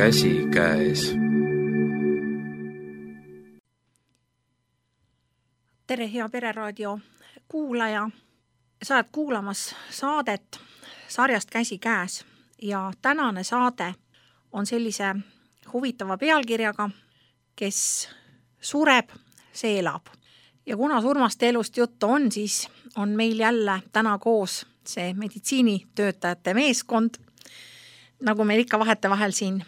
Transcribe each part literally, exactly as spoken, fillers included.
käsikäes. Tere, hea Pereraadio kuulaja. Sa oled kuulamas saadet sarjast Käsikäes ja tänane saade on sellise huvitava pealkirjaga, kes sureb, see elab. Ja kuna surmast elust juttu on, siis on meil jälle täna koos see meditsiinitöötajate meeskond, nagu meil ikka vahetevahel siin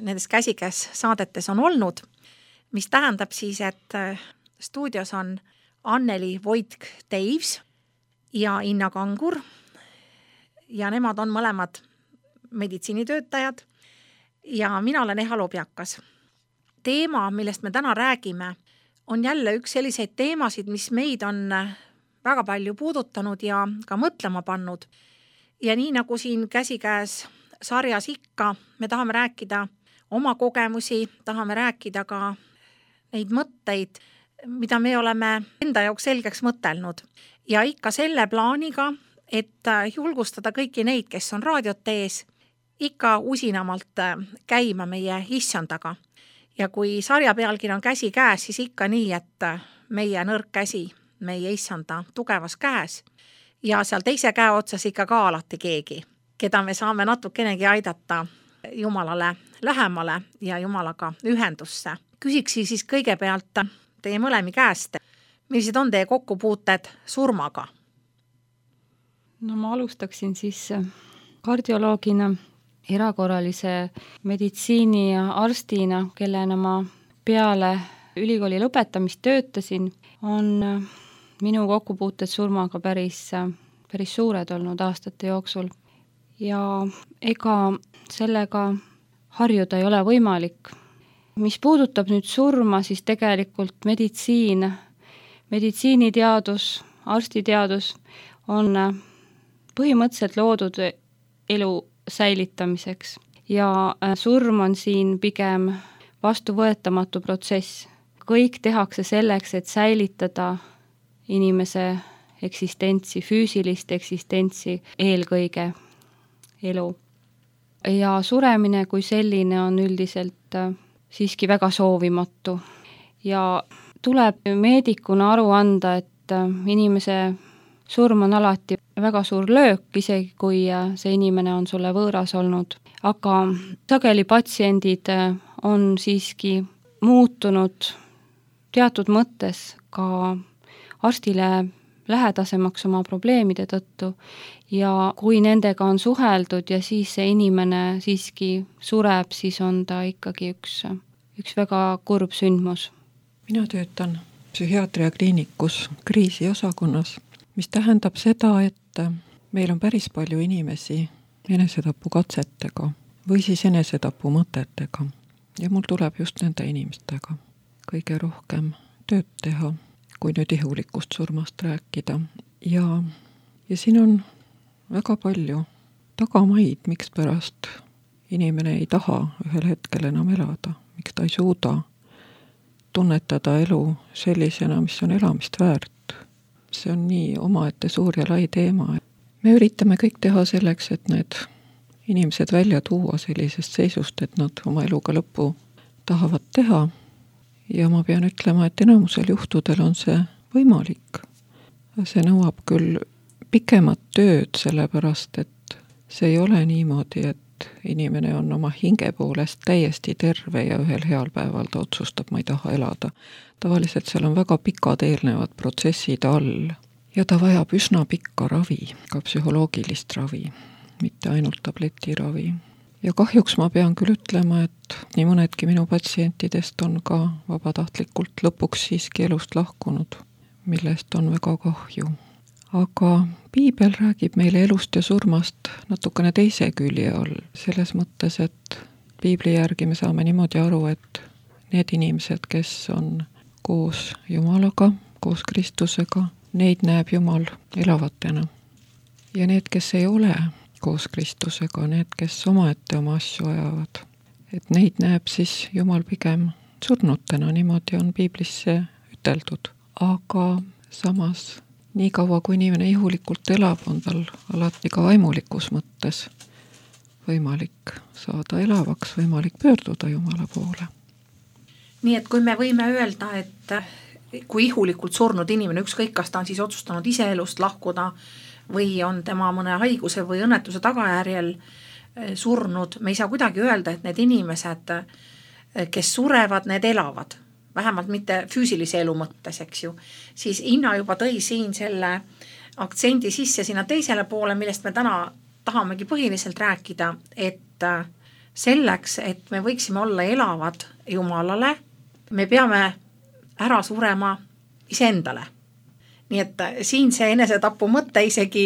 nendes Käsikäes saadetes on olnud, mis tähendab siis, et stuudios on Anneli Voitk-Teives ja Inna Kangur ja nemad on mõlemad meditsiinitöötajad ja mina olen Eha Lobjakas. Teema, millest me täna räägime, on jälle üks selliseid teemasid, mis meid on väga palju puudutanud ja ka mõtlema pannud. Ja nii nagu siin Käsikäes sarjas ikka, me tahame rääkida oma kogemusi, tahame rääkida ka neid mõtteid, mida me oleme enda jaoks selgeks mõtelnud. Ja ikka selle plaaniga, et julgustada kõiki neid, kes on raadiot ees, ikka usinamalt käima meie issandaga. Ja kui sarja pealkiri on Käsikäes, siis ikka nii, et meie nõrk käsi, meie issanda tugevas käes ja seal teise käe otsas ikka ka alati keegi, keda me saame natukenegi aidata Jumalale lähemale ja Jumalaga ühendusse. Küsiksi siis kõigepealt teie mõlemi käest, millised on teie kokkupuuted surmaga? No ma alustaksin siis kardioloogina, erakorralise meditsiini ja arstina, kellena ma peale ülikooli lõpetamist töötasin, on minu kokkupuuted surmaga päris, päris suured olnud aastate jooksul. Ja ega sellega harjuda ei ole võimalik. Mis puudutab nüüd surma, siis tegelikult meditsiin, meditsiiniteadus, arstiteadus on põhimõtteliselt loodud elu säilitamiseks ja surm on siin pigem vastuvõetamatu protsess. Kõik tehakse selleks, et säilitada inimese eksistentsi, füüsilist eksistentsi, eelkõige elu. Ja suremine kui selline on üldiselt siiski väga soovimatu ja tuleb meedikuna aru anda, et inimese surm on alati väga suur löök, isegi kui see inimene on sulle võõras olnud. Aga sageli patsiendid on siiski muutunud teatud mõttes ka arstile lähedasemaks oma probleemide tõttu ja kui nendega on suheldud ja siis see inimene siiski sureb, siis on ta ikkagi üks, üks väga kurb sündmus. Mina töötan psühhiaatria kliinikus kriisiosakonnas, mis tähendab seda, et meil on päris palju inimesi enesetapukatsetega või siis enesetapu mõtetega. Ja mul tuleb just nende inimestega kõige rohkem tööd teha, kui nüüd ihulikust surmast rääkida. Ja, ja siin on väga palju tagamaid, miks pärast inimene ei taha ühel hetkel enam elada, miks ta ei suuda tunnetada elu sellisena, mis on elamist väärt. See on nii omaette suur ja lai teema. Me üritame kõik teha selleks, et need inimesed välja tuua sellisest seisust, et nad oma eluga lõppu tahavad teha. Ja ma pean ütlema, et enamusel juhtudel on see võimalik. See nõuab küll pikemat tööd, sellepärast, et see ei ole niimoodi, et inimene on oma hinge poolest täiesti terve ja ühel heal päeval ta otsustab, ma ei taha elada. Tavaliselt seal on väga pikad eelnevad protsessid all ja ta vajab üsna pikka ravi, ka psühholoogilist ravi, mitte ainult tabletiravi. Ja kahjuks ma pean küll ütlema, et nii mõnedki minu patsientidest on ka vabatahtlikult lõpuks siiski elust lahkunud, millest on väga kahju. Aga piibel räägib meile elust ja surmast natukene teise külje all, selles mõttes, et piibli järgi me saame niimoodi aru, et need inimesed, kes on koos Jumalaga, koos Kristusega, neid näeb Jumal elavatena. Ja need, kes ei ole koos Kristusega, need, kes omaette oma asju ajavad, et neid näeb siis Jumal pigem surnutena, niimoodi on piiblisse üteldud. Aga samas, nii kaua kui inimene ihulikult elab, on tal alati ka vaimulikus mõttes võimalik saada elavaks, võimalik pöörduda Jumala poole. Nii et kui me võime öelda, et kui ihulikult surnud inimene, ükskõik kas ta on siis otsustanud ise elust lahkuda või on tema mõne haiguse või õnnetuse tagajärjel surnud, me ei saa kuidagi öelda, et need inimesed, kes surevad, need elavad, vähemalt mitte füüsilise elu mõttes, eks ju, siis Inna juba tõi siin selle aktsendi sisse sinna teisele poole, millest me täna tahamegi põhiliselt rääkida, et selleks, et me võiksime olla elavad Jumalale, me peame ära surema iseendale. Nii et siin see enesetapu mõte isegi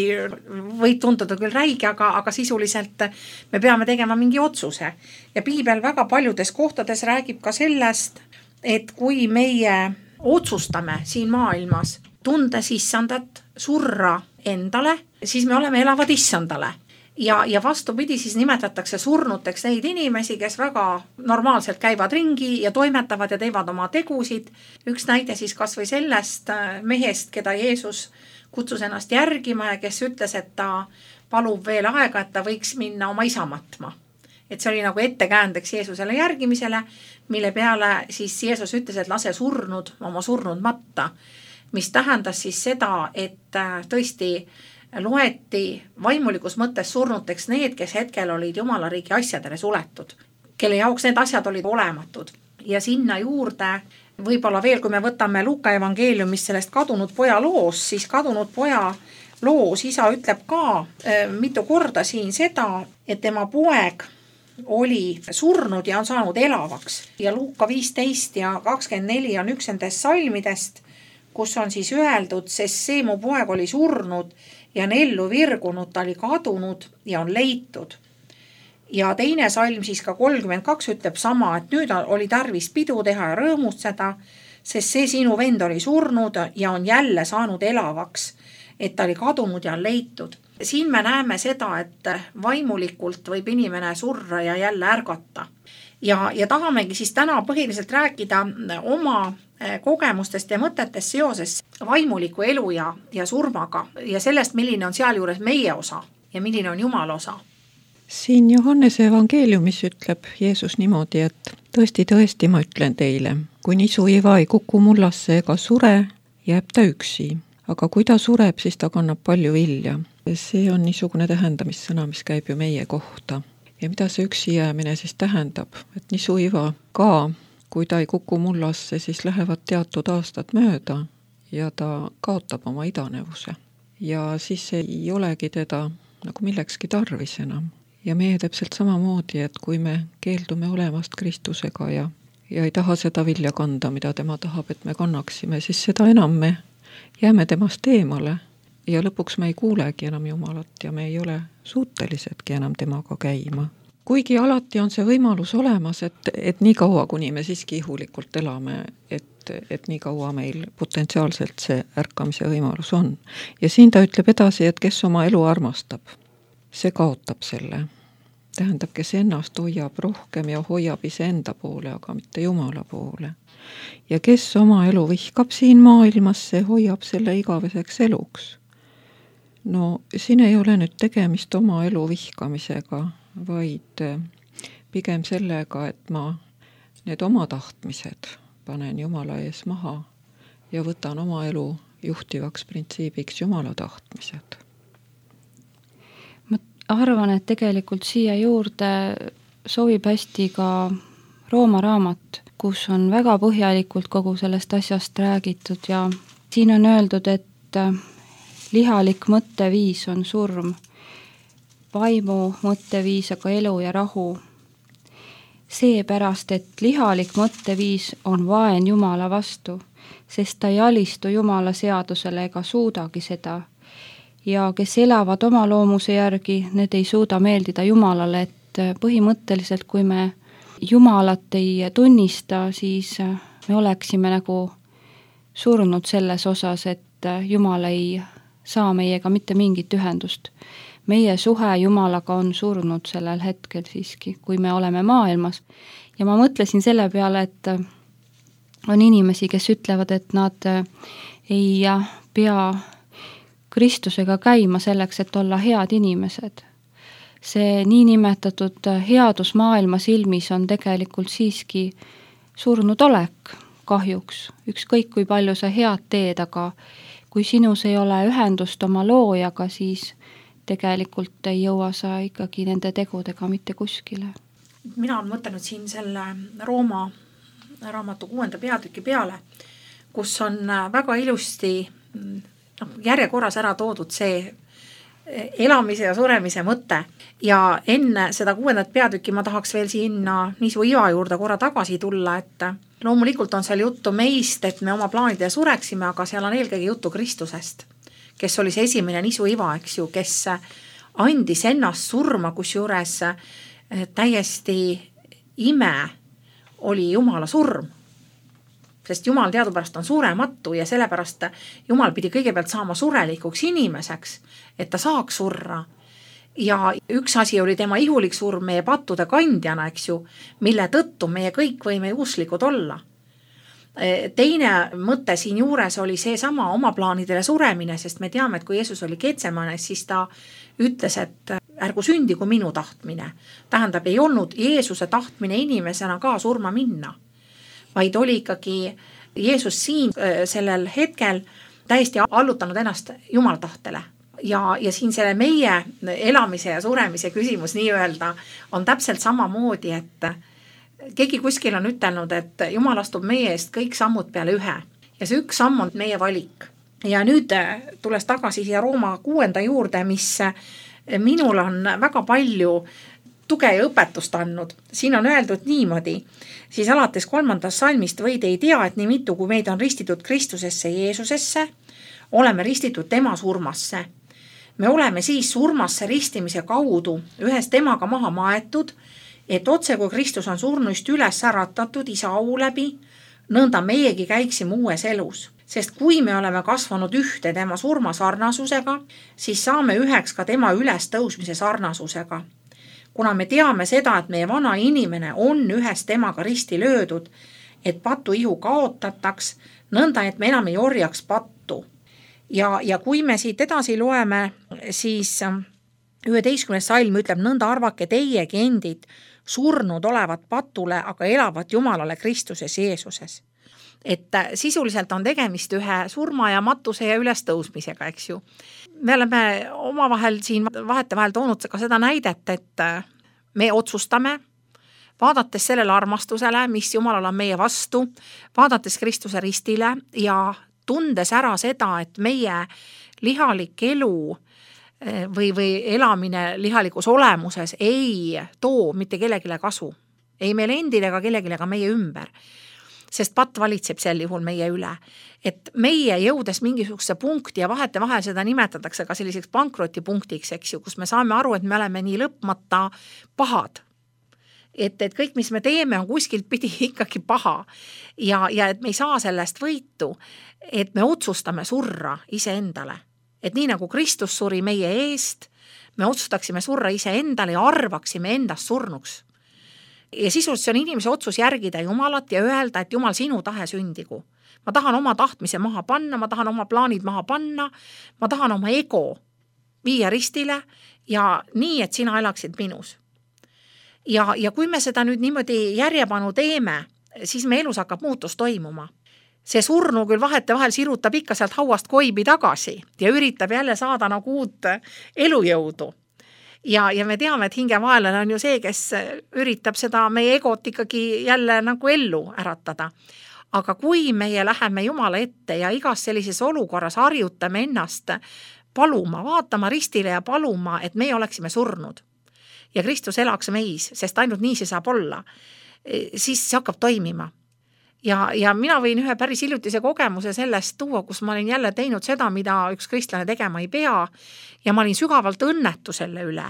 võib tunduda küll räige, aga, aga sisuliselt me peame tegema mingi otsuse. Ja piibel väga paljudes kohtades räägib ka sellest, et kui meie otsustame siin maailmas tundes issandat, surra endale, siis me oleme elavad issandale. Ja, ja vastupidi siis nimetatakse surnuteks neid inimesi, kes väga normaalselt käivad ringi ja toimetavad ja teevad oma tegusid. Üks näide siis kas või sellest mehest, keda Jeesus kutsus ennast järgima ja kes ütles, et ta palub veel aega, et ta võiks minna oma isa matma. Et see oli nagu ettekäändeks Jeesusele järgimisele, mille peale siis Jeesus ütles, et lase surnud oma surnud matta, mis tähendas siis seda, et tõesti loeti vaimulikus mõttes surnuteks need, kes hetkel olid Jumala riigi asjadele suletud, kelle jaoks need asjad olid olematud. Ja sinna juurde võib-olla veel, kui me võtame Luuka evangeeliumist sellest kadunud poja loos, siis kadunud poja loos isa ütleb ka äh, mitu korda siin seda, et tema poeg oli surnud ja on saanud elavaks. Ja Luuka viisteist ja kakskümmend neli on üks nendest salmidest, kus on siis öeldud, sest see mu poeg oli surnud ja on ellu virgunud, ta oli kadunud ja on leitud. Ja teine salm siis ka kolmkümmend kaks ütleb sama, et nüüd oli tarvis pidu teha ja rõõmustada, sest see sinu vend oli surnud ja on jälle saanud elavaks, et ta oli kadunud ja on leitud. Siin me näeme seda, et vaimulikult võib inimene surra ja jälle ärgata. Ja, ja tahamegi siis täna põhiliselt rääkida oma kogemustest ja mõtetest seoses vaimuliku elu ja, ja surmaga ja sellest, milline on seal juures meie osa ja milline on Jumala osa. Siin Johannese evangeeliumis ütleb Jeesus niimoodi, et tõesti, tõesti ma ütlen teile, kui nisu iva ei kuku mullasse ega sure, jääb ta üksi. Aga kui ta sureb, siis ta kannab palju vilja. See on niisugune tähendamissõna, mis käib ju meie kohta. Ja mida see üksi jäämine siis tähendab? Et nisu iva ka, kui ta ei kuku mullasse, siis lähevad teatud aastad mööda ja ta kaotab oma idanevuse. Ja siis ei olegi teda nagu millekski tarvis enam. Ja meie täpselt samamoodi, et kui me keeldume olemast Kristusega ja, ja ei taha seda vilja kanda, mida tema tahab, et me kannaksime, siis seda enam me jääme temast eemale ja lõpuks me ei kuulegi enam Jumalat ja me ei ole suutelisedki enam temaga käima. Kuigi alati on see võimalus olemas, et, et nii kaua, kuni me siiski ihulikult elame, et, et nii kaua meil potentsiaalselt see ärkamise võimalus on. Ja siin ta ütleb edasi, et kes oma elu armastab, see kaotab selle. Tähendab, kes ennast hoiab rohkem ja hoiab iseenda poole, aga mitte Jumala poole. Ja kes oma elu vihkab siin maailmas, see hoiab selle igaveseks eluks. No siin ei ole nüüd tegemist oma elu vihkamisega, vaid pigem sellega, et ma need oma tahtmised panen Jumala ees maha ja võtan oma elu juhtivaks printsiibiks Jumala tahtmised. Ma arvan, et tegelikult siia juurde sobib hästi ka Rooma raamat, kus on väga põhjalikult kogu sellest asjast räägitud ja siin on öeldud, et lihalik mõtteviis on surm, vaimu mõtteviis aga elu ja rahu. Seepärast, et lihalik mõtteviis on vaen Jumala vastu, sest ta ei alistu Jumala seadusele ega suudagi seda. Ja kes elavad oma loomuse järgi, need ei suuda meeldida Jumalale, et põhimõtteliselt kui me Jumalat ei tunnista, siis me oleksime nagu surnud selles osas, et Jumal ei saa meiega mitte mingit ühendust. Meie suhe Jumalaga on surnud sellel hetkel siiski, kui me oleme maailmas. Ja ma mõtlesin selle peale, et on inimesi, kes ütlevad, et nad ei pea Kristusega käima selleks, et olla head inimesed. see niinimetatud headus maailma silmis on tegelikult siiski surnud olek kahjuks. Ükskõik kui palju sa head teed, aga kui sinus ei ole ühendust oma loojaga, siis tegelikult ei jõua sa ikkagi nende tegudega mitte kuskile. Mina olen mõtelnud siin selle Rooma raamatu kuuenda peatüki peale, kus on väga ilusti no, järjekorras ära toodud see elamise ja suremise mõte. Ja enne seda kuuendat peatükki ma tahaks veel sinna Nisu Iva juurde korra tagasi tulla, et loomulikult on seal juttu meist, et me oma plaanidele sureksime, aga seal on eelkõige juttu Kristusest, kes oli see esimene Nisu Iva, eks ju, kes andis ennast surma, kus juures täiesti ime oli Jumala surm. Sest Jumal teadupärast on surematu ja sellepärast Jumal pidi kõigepealt saama surelikuks inimeseks, et ta saaks surra. Ja üks asi oli tema ihulik surm meie pattude kandjana, eks ju, mille tõttu meie kõik võime usklikud olla. Teine mõte siin juures oli see sama oma plaanidele suremine, sest me teame, et kui Jeesus oli Getsemanes, siis ta ütles, et ärgu sündigu minu tahtmine. Tähendab, ei olnud Jeesuse tahtmine inimesena ka surma minna, vaid oli ikkagi Jeesus siin sellel hetkel täiesti allutanud ennast Jumala tahtele. Ja, ja siin selle meie elamise ja suremise küsimus nii öelda on täpselt samamoodi, et keegi kuskil on ütelnud, et Jumal astub meie eest kõik sammud peale ühe ja see üks samm on meie valik. Ja nüüd tules tagasi siia Rooma kuuenda juurde, mis minul on väga palju tuge ja õpetust andnud. Siin on öeldud niimoodi, siis alates kolmandast salmist võid ei tea, et nii mitu kui meid on ristitud Kristusesse Jeesusesse, oleme ristitud tema surmasse. Me oleme siis surmasse ristimise kaudu ühes temaga maha maetud, et otse kui Kristus on surnuist üles äratatud isa au läbi, nõnda meiegi käiksime uues elus. Sest kui me oleme kasvanud ühte tema surma sarnasusega, siis saame üheks ka tema üles tõusmise sarnasusega. Kuna me teame seda, et meie vana inimene on ühes temaga risti löödud, et patu ihu kaotataks, nõnda et me enam ei orjaks pattu. Ja, ja kui me siit edasi loeme, siis üheteistkümnes salm ütleb, nõnda arvake teiegi endid surnud olevat patule, aga elavat Jumalale Kristuses Jeesuses. Et sisuliselt on tegemist ühe surma ja matuse ja ülestõusmisega, eks ju. Me oleme omavahel siin vahete vahel toonud ka seda näidet, et me otsustame, vaadates sellele armastusele, mis Jumalal on meie vastu, vaadates Kristuse ristile ja tundes ära seda, et meie lihalik elu või, või elamine lihalikus olemuses ei too mitte kellegile kasu. Ei meil endil ega kellegile ka meie ümber. Sest pat valitseb sel juhul meie üle. Et meie jõudes mingisuguse punkti ja vahete vahel seda nimetatakse ka selliseks pankrotipunktiks, eks ju, kus me saame aru, et me oleme nii lõpmata pahad. Et, et kõik, mis me teeme, on kuskilt pidi ikkagi paha ja, ja et me ei saa sellest võitu, et me otsustame surra iseendale. Et nii nagu Kristus suri meie eest, me otsustaksime surra iseendale ja arvaksime endast surnuks. Ja sisust see on inimese otsus järgida Jumalat ja öelda, et Jumal, sinu tahe sündigu. Ma tahan oma tahtmise maha panna, ma tahan oma plaanid maha panna, ma tahan oma ego viia ristile ja nii, et sina elaksid minus. Ja, ja kui me seda nüüd niimoodi järjepanu teeme, siis me elus hakkab muutus toimuma. See surnu küll vahete vahel sirutab ikka sealt hauast koibi tagasi ja üritab jälle saada nagu uut elujõudu. Ja, ja me teame, et hingevaenlane on ju see, kes üritab seda meie egot ikkagi jälle nagu ellu äratada. Aga kui meie läheme Jumala ette ja igas sellises olukorras harjutame ennast paluma, vaatama ristile ja paluma, et meie oleksime surnud ja Kristus elaks meis, sest ainult nii see saab olla, siis see hakkab toimima. Ja, ja mina võin ühe päris hiljutise kogemuse sellest tuua, kus ma olin jälle teinud seda, mida üks kristlane tegema ei pea ja ma olin sügavalt õnnetu selle üle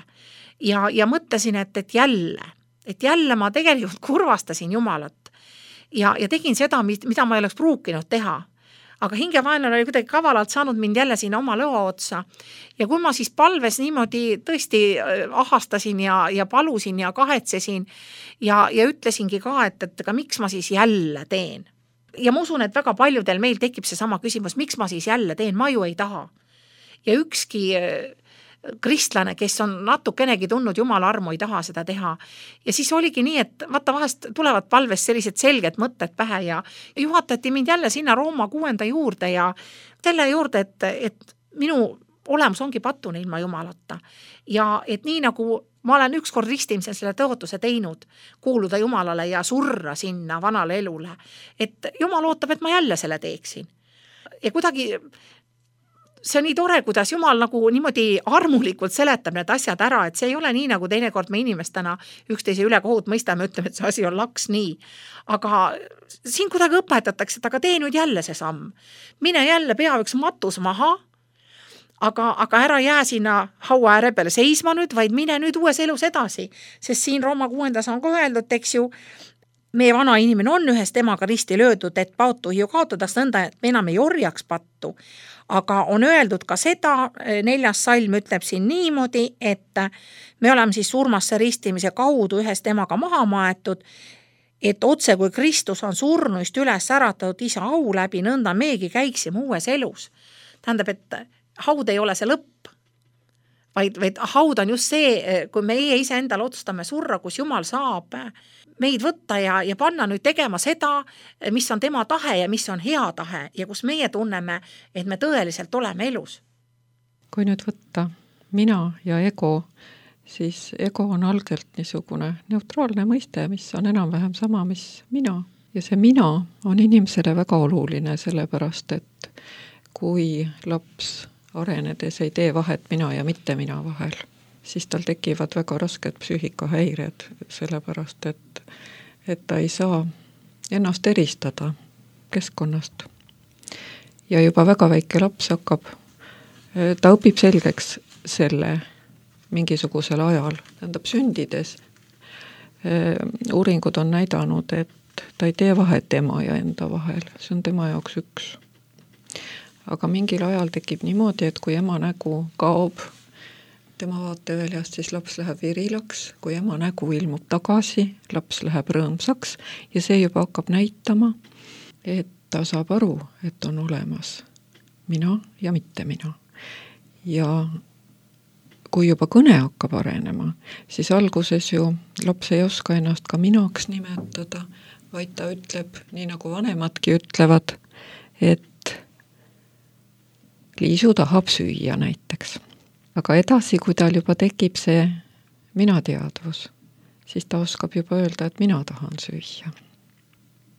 ja, ja mõtlesin, et, et jälle, et jälle ma tegelikult kurvastasin Jumalat ja, ja tegin seda, mida ma ei oleks pruukinud teha. Aga hingevaenlane oli kuidagi kavalalt saanud mind jälle sinna oma lõa otsa. Ja kui ma siis palves niimoodi tõesti ahastasin ja, ja palusin ja kahetsesin ja, ja ütlesingi ka, et, et aga miks ma siis jälle teen. Ja ma usun, et väga paljudel meil tekib see sama küsimus, miks ma siis jälle teen, ma ju ei taha. Ja ükski kristlane, kes on natukenegi tundnud Jumala armu, ei taha seda teha. Ja siis oligi nii, et vaata vahest tulevad palves sellised selged mõtted pähe ja juhatati mind jälle sinna Rooma kuuenda juurde ja selle juurde, et, et minu olemus ongi patune ilma Jumalata. Ja et nii nagu ma olen ükskord ristimisel selle tõotuse teinud, kuuluda Jumalale ja surra sinna vanale elule, et Jumal ootab, et ma jälle selle teeksin. Ja kuidagi see on nii tore, kuidas Jumal nagu niimoodi armulikult seletab need asjad ära, et see ei ole nii, nagu teinekord me inimestena üksteise üle kohut mõistame, ütleme, et see asi on laks nii. Aga siin kuidagi õpetatakse, et aga tee nüüd jälle see samm. Mine jälle pea üks matus maha, aga, aga ära jää sinna haua ääre peale seisma nüüd, vaid mine nüüd uues elus edasi. Sest siin Rooma kuuendas on ka öeldud, eks ju, meie vana inimene on ühest temaga risti löödud, et paotu ju kaotadaks nõnda, et me enam ei orjaks pattu. Aga on öeldud ka seda, neljas salm ütleb siin niimoodi, et me oleme siis surmasse ristimise kaudu ühest temaga maha maetud, et otse kui Kristus on surnuist üles äratatud isa au läbi, nõnda meegi käiksime uues elus. Tähendab, et haud ei ole see lõpp, vaid, vaid haud on just see, kui meie ise endale otsustame surra, kus Jumal saab meid võtta ja, ja panna nüüd tegema seda, mis on tema tahe ja mis on hea tahe ja kus meie tunneme, et me tõeliselt oleme elus. Kui nüüd võtta mina ja ego, siis ego on algelt niisugune neutraalne mõiste, mis on enam-vähem sama, mis mina. Ja see mina on inimesele väga oluline, sellepärast, et kui laps arenedes ei tee vahet mina ja mitte mina vahel, siis tal tekivad väga rasked psüühikahäired, sellepärast, et, et ta ei saa ennast eristada keskkonnast. Ja juba väga väike laps hakkab, ta õpib selgeks selle mingisugusel ajal, tähendab sündides. Uuringud on näidanud, et ta ei tee vahet ema ja enda vahel, see on tema jaoks üks. Aga mingil ajal tekib niimoodi, et kui ema nägu kaob tema vaateväljast, siis laps läheb virilaks, kui ema nägu ilmub tagasi, laps läheb rõõmsaks ja see juba hakkab näitama, et ta saab aru, et on olemas mina ja mitte mina. Ja kui juba kõne hakkab arenema, siis alguses ju laps ei oska ennast ka minaks nimetada, vaid ta ütleb, nii nagu vanemadki ütlevad, et Liisu tahab süüa näiteks. Aga edasi, kui tal juba tekib see mina teadvus, siis ta oskab juba öelda, et mina tahan süüa.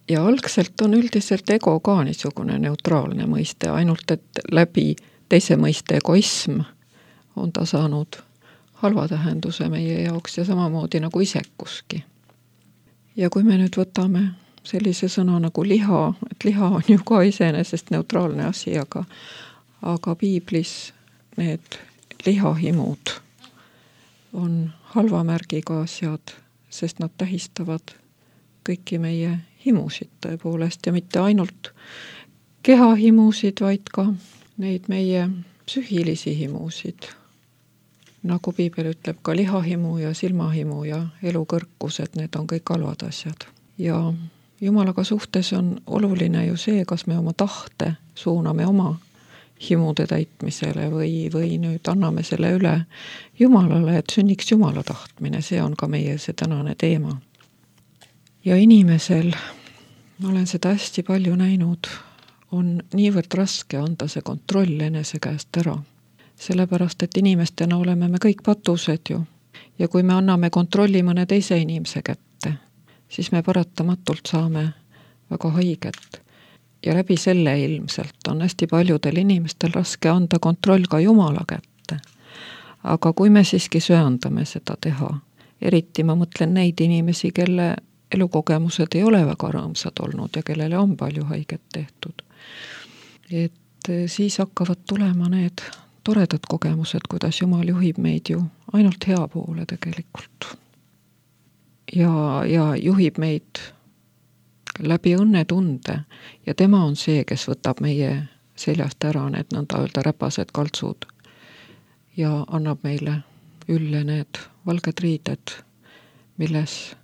Ja algselt on üldiselt ego ka niisugune neutraalne mõiste, ainult et läbi teise mõiste egoism on ta saanud halva tähenduse meie jaoks ja samamoodi nagu isekuski. Ja kui me nüüd võtame sellise sõna nagu liha, et liha on ju ka iseenesest neutraalne asi, aga, aga piiblis need lihahimud on halva märgiga asjad, sest nad tähistavad kõiki meie himusid tõepoolest ja mitte ainult kehahimusid, vaid ka neid meie psühhilisi himusid. Nagu piibel ütleb, ka lihahimu ja silmahimu ja elukõrkused, need on kõik halvad asjad. Ja Jumalaga suhtes on oluline ju see, kas me oma tahte suuname oma himude täitmisele või, või nüüd anname selle üle Jumalale, et sünniks Jumala tahtmine, see on ka meie see tänane teema. Ja inimesel, ma olen seda hästi palju näinud, on niivõrd raske anda see kontroll enese käest ära. Sellepärast, et inimestena oleme me kõik patused ju. Ja kui me anname kontrolli mõne teise inimese kätte, siis me paratamatult saame väga haiget. Ja läbi selle ilmselt on hästi paljudel inimestel raske anda kontroll ka Jumala kätte. Aga kui me siiski söandame seda teha, eriti ma mõtlen neid inimesi, kelle elukogemused ei ole väga rõõmsad olnud ja kellele on palju haiget tehtud, et siis hakkavad tulema need toredad kogemused, kuidas Jumal juhib meid ju ainult hea poole tegelikult. Ja, ja juhib meid läbi õnnetunde ja tema on see, kes võtab meie seljast ära need nõnda öelda räpased kaltsud ja annab meile ülle need valged riided, milles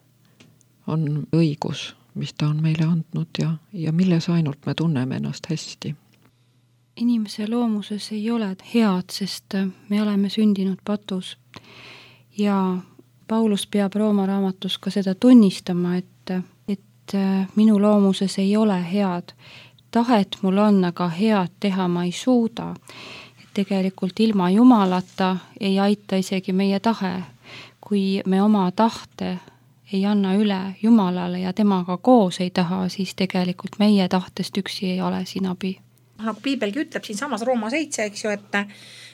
on õigus, mis ta on meile andnud ja, ja milles ainult me tunneme ennast hästi. inimese loomuses ei ole head, sest me oleme sündinud patus. Ja Paulus peab Rooma raamatus ka seda tunnistama, et, et minu loomuses ei ole head. Tahet mul on, aga head teha ma ei suuda. Et tegelikult ilma Jumalata ei aita isegi meie tahe. Kui me oma tahte ei anna üle Jumalale ja temaga koos ei taha, siis tegelikult meie tahtest üksi ei ole siin abi. Nagu piibelgi ütleb siin samas Rooma seitse, eks ju, et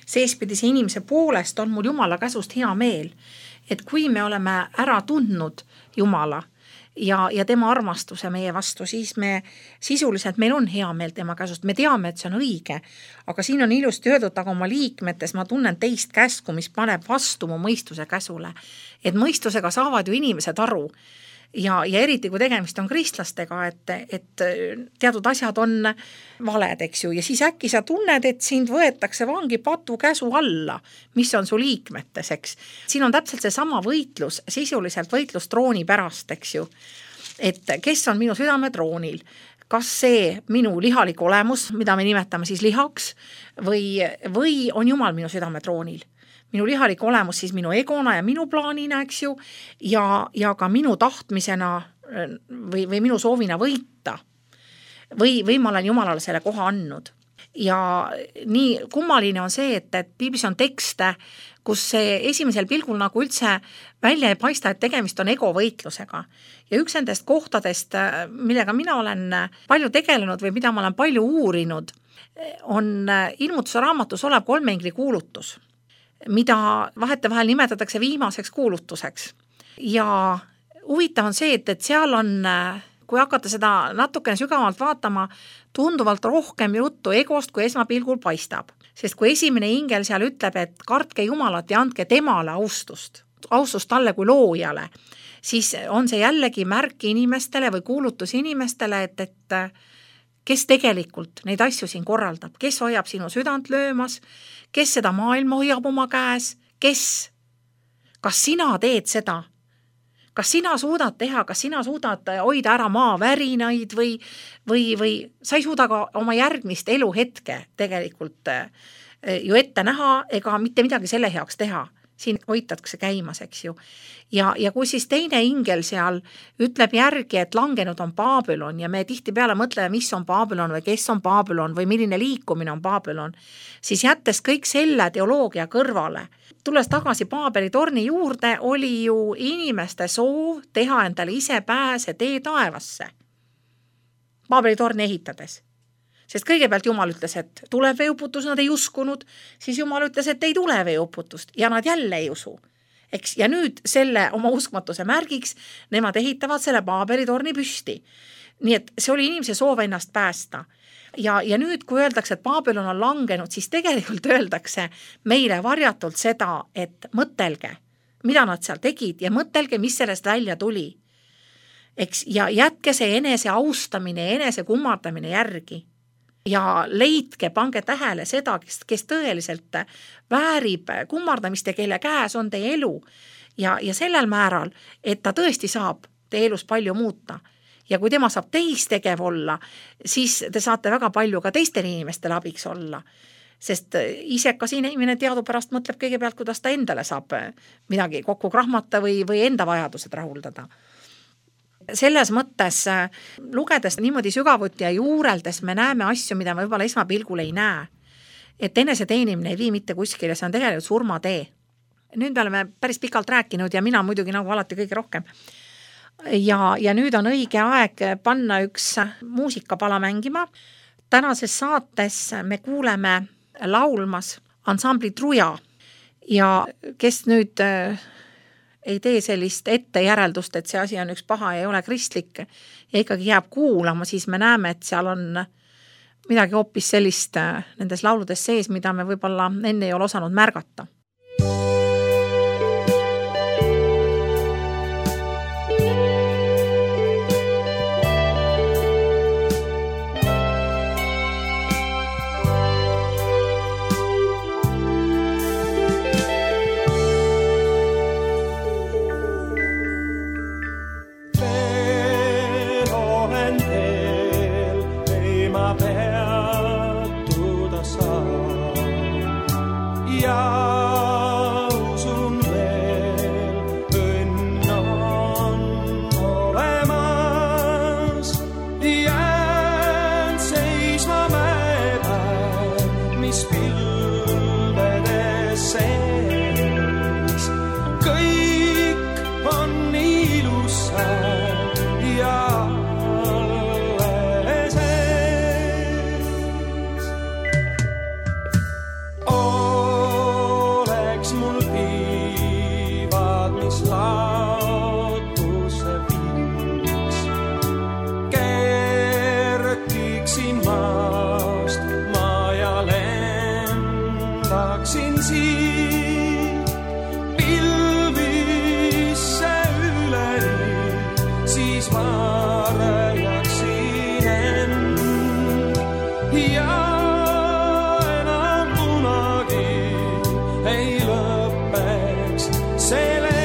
seespidise inimese poolest on mul Jumala käsust hea meel. Et kui me oleme ära tundnud Jumala ja, ja tema armastuse meie vastu, siis me sisuliselt, meil on hea meel tema käsust. Me teame, et see on õige, aga siin on ilusti öeldud, aga oma liikmetes ma tunnen teist käsku, mis paneb vastu mu mõistuse käsule. Et mõistusega saavad ju inimesed aru. Ja, ja eriti kui tegemist on kristlastega, et, et teatud asjad on valed, eks ju, ja siis äkki sa tunned, et sind võetakse vangi patu käsu alla, mis on su liikmetes, eks. Siin on täpselt see sama võitlus, sisuliselt võitlus trooni pärast, eks ju, et kes on minu südame troonil, kas see minu lihalik olemus, mida me nimetame siis lihaks, või, või on Jumal minu südame troonil. Minu lihalik olemus siis minu egona ja minu plaanina, eks ju, ja, ja ka minu tahtmisena või, või minu soovina võita. Või, või ma olen Jumalale selle koha andnud. Ja nii kummaline on see, et, et piiblis on tekste, kus see esimesel pilgul nagu üldse välja ei paista, et tegemist on egovõitlusega. Ja üks nendest kohtadest, millega mina olen palju tegelenud või mida ma olen palju uurinud, on ilmutuse raamatus olev kolmeingli kuulutus, mida vahetevahel nimetatakse viimaseks kuulutuseks. Ja huvitav on see, et, et seal on, kui hakata seda natukene sügavalt vaatama, tunduvalt rohkem juttu egost, kui esmapilgul paistab. Sest kui esimene ingel seal ütleb, et kartke Jumalat ja andke temale austust, austust talle kui loojale, siis on see jällegi märk inimestele või kuulutus inimestele, et, et kes tegelikult neid asju siin korraldab, kes hoiab sinu südant löömas, kes seda maailma hoiab oma käes, kes, kas sina teed seda, kas sina suudad teha, kas sina suudad hoida ära maa värinaid või, või, või sa ei suuda ka oma järgmist eluhetke tegelikult ju ette näha ega mitte midagi selle heaks teha. Siin hoitatakse käimas, eks ju. Ja, ja kui siis teine ingel seal ütleb järgi, et langenud on Babylon ja me tihti peale mõtleme, mis on Babylon või kes on Babylon või milline liikumine on Babylon, siis jättes kõik selle teoloogia kõrvale, tulles tagasi Paabeli torni juurde, oli ju inimeste soov teha endale ise pääse tee taevasse. Paabeli torni ehitades. Sest kõigepealt Jumal ütles, et tuleb veeuputus, nad ei uskunud, siis Jumal ütles, et ei tule veeuputust ja nad jälle ei usu. Eks, ja nüüd selle oma uskmatuse märgiks nemad ehitavad selle Paabeli torni püsti. Nii et see oli inimese soov ennast päästa. Ja, ja nüüd, kui öeldakse, et Babylon on langenud, siis tegelikult öeldakse meile varjatult seda, et mõtelge, mida nad seal tegid ja mõtelge, mis sellest välja tuli. Eks, ja jätke see enese austamine ja enese kummardamine järgi. Ja leidke, pange tähele seda, kes, kes tõeliselt väärib kummardamist ja kelle käes on teie elu. Ja, ja sellel määral, et ta tõesti saab teie elus palju muuta. Ja kui tema saab teist tegev olla, siis te saate väga palju ka teistel inimestel abiks olla. Sest isekas inimene teadupärast mõtleb kõigepealt, kuidas ta endale saab midagi kokku krahmata või, või enda vajadused rahuldada. Selles mõttes lugedes niimoodi sügavuti ja juureldes me näeme asju, mida me võib-olla esmapilgul ei näe. Et enese teenimine ei vii mitte kuskile, see on tegelikult surmatee. Nüüd me oleme päris pikalt rääkinud ja mina muidugi nagu alati kõige rohkem. Ja, ja nüüd on õige aeg panna üks muusikapala mängima. Tänases saates me kuuleme laulmas ansambli Truja ja kes nüüd ei tee sellist ette järeldust, et see asi on üks paha ja ei ole kristlik ja ikkagi jääb kuulama, siis me näeme, et seal on midagi hoopis sellist nendes lauludes sees, mida me võib-olla enne ei ole osanud märgata. Peatuda laotuse viiks. Kerkiksin maast ma ja lendaksin siit pilvisse üleni, siis ma raiaksin end ja enam kunagi ei lõppeks see lend.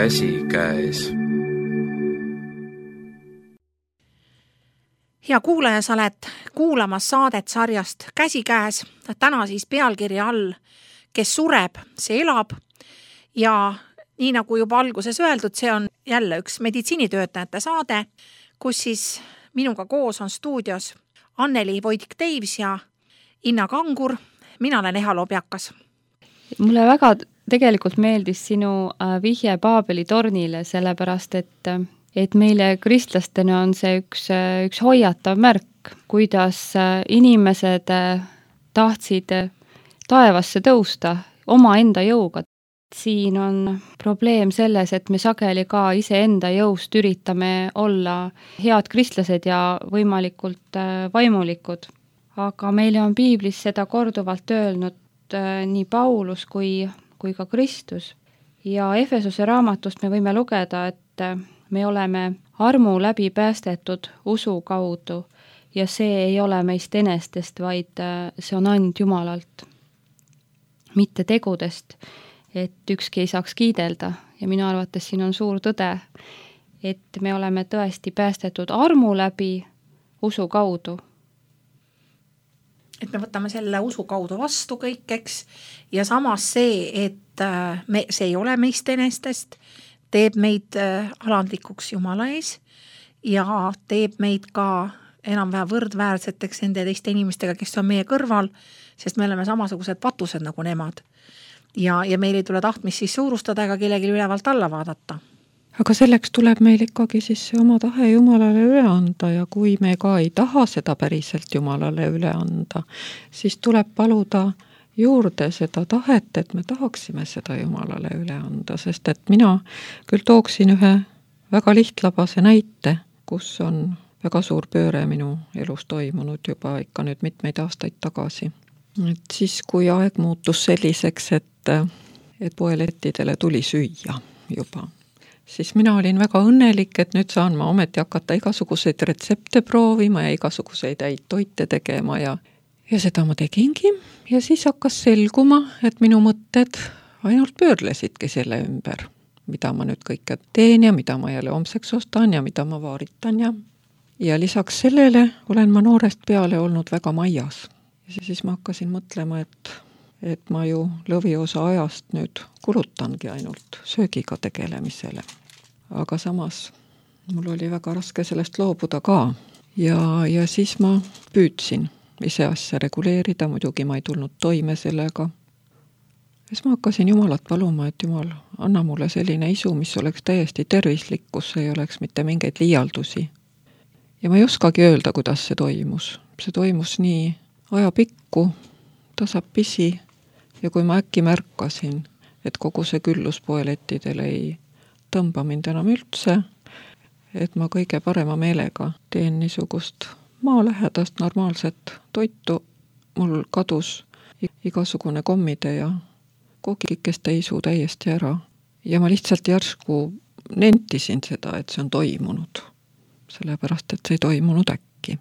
Käsikäes. Hea kuulaja, sa oled kuulamas saadet sarjast Käsikäes. Täna siis pealkirja all Kes sureb, see elab. Ja nii nagu juba alguses öeldud, see on jälle üks meditsiinitöötajate saade, kus siis minuga koos on stuudios Anneli Voidik-Teivs ja Inna Kangur. Mina olen Eha Lobjakas. Mulle väga tegelikult meeldis sinu vihje Paabeli tornile, sellepärast et, et meile kristlastena on see üks, üks hoiatav märk, kuidas inimesed tahtsid taevasse tõusta oma enda jõuga. Siin on probleem selles, et me sageli ka iseenda jõust üritame olla head kristlased ja võimalikult vaimulikud. Aga meile on piiblis seda korduvalt öelnud nii Paulus kui kui ka Kristus. Ja Efesuse raamatust me võime lugeda, et me oleme armu läbi päästetud usu kaudu ja see ei ole meist enestest, vaid see on and Jumalalt. Mitte tegudest, et ükski ei saaks kiidelda ja minu arvates siin on suur tõde, et me oleme tõesti päästetud armu läbi usu kaudu. Et me võtame selle usu kaudu vastu kõik, eks, ja samas see, et me, see ei ole meist enestest, teeb meid alandlikuks Jumala ees ja teeb meid ka enam-vähe võrdväärseteks nende teiste inimestega, kes on meie kõrval, sest me oleme samasugused patused nagu nemad. Ja, ja meil ei tule tahtmist siis suurustada ega kellegi ülevalt alla vaadata. Aga selleks tuleb meil ikkagi siis see oma tahe Jumalale üle anda ja kui me ka ei taha seda päriselt Jumalale üle anda, siis tuleb paluda juurde seda tahet, et me tahaksime seda Jumalale üle anda, sest et mina küll tooksin ühe väga lihtlabase näite, kus on väga suur pööre minu elus toimunud juba ikka nüüd mitmeid aastaid tagasi. Et siis, kui aeg muutus selliseks, et, et poelettidele tuli süüa juba, siis mina olin väga õnnelik, et nüüd saan ma ometi hakata igasuguseid retsepte proovima ja igasuguseid häid toite tegema ja ja seda ma tegingi ja siis hakkas selguma, et minu mõtted ainult pöörlesidki selle ümber, mida ma nüüd kõike teen ja mida ma jälle homseks ostan ja mida ma vaaritan ja ja lisaks sellele olen ma noorest peale olnud väga maias. Ja siis ma hakkasin mõtlema, et, et ma ju lõviosa ajast nüüd kulutangi ainult söögiga tegelemisele. Aga samas mul oli väga raske sellest loobuda ka ja, ja siis ma püüdsin ise asja reguleerida, muidugi ma ei tulnud toime sellega. Siis ma hakkasin Jumalat paluma, et Jumal, anna mulle selline isu, mis oleks täiesti tervislik, kus ei oleks mitte mingeid liialdusi. Ja ma ei oskagi öelda, kuidas see toimus. See toimus nii ajapikku, tasapisi ja kui ma äkki märkasin, et kogu see küllus poelettidel ei tõmba mind enam üldse, et ma kõige parema meelega teen niisugust maalähedast normaalset toitu, mul kadus igasugune kommide ja kookikeste isu täiesti ära. Ja ma lihtsalt järsku nentisin seda, et see on toimunud. Sellepärast, et see ei toimunud äkki.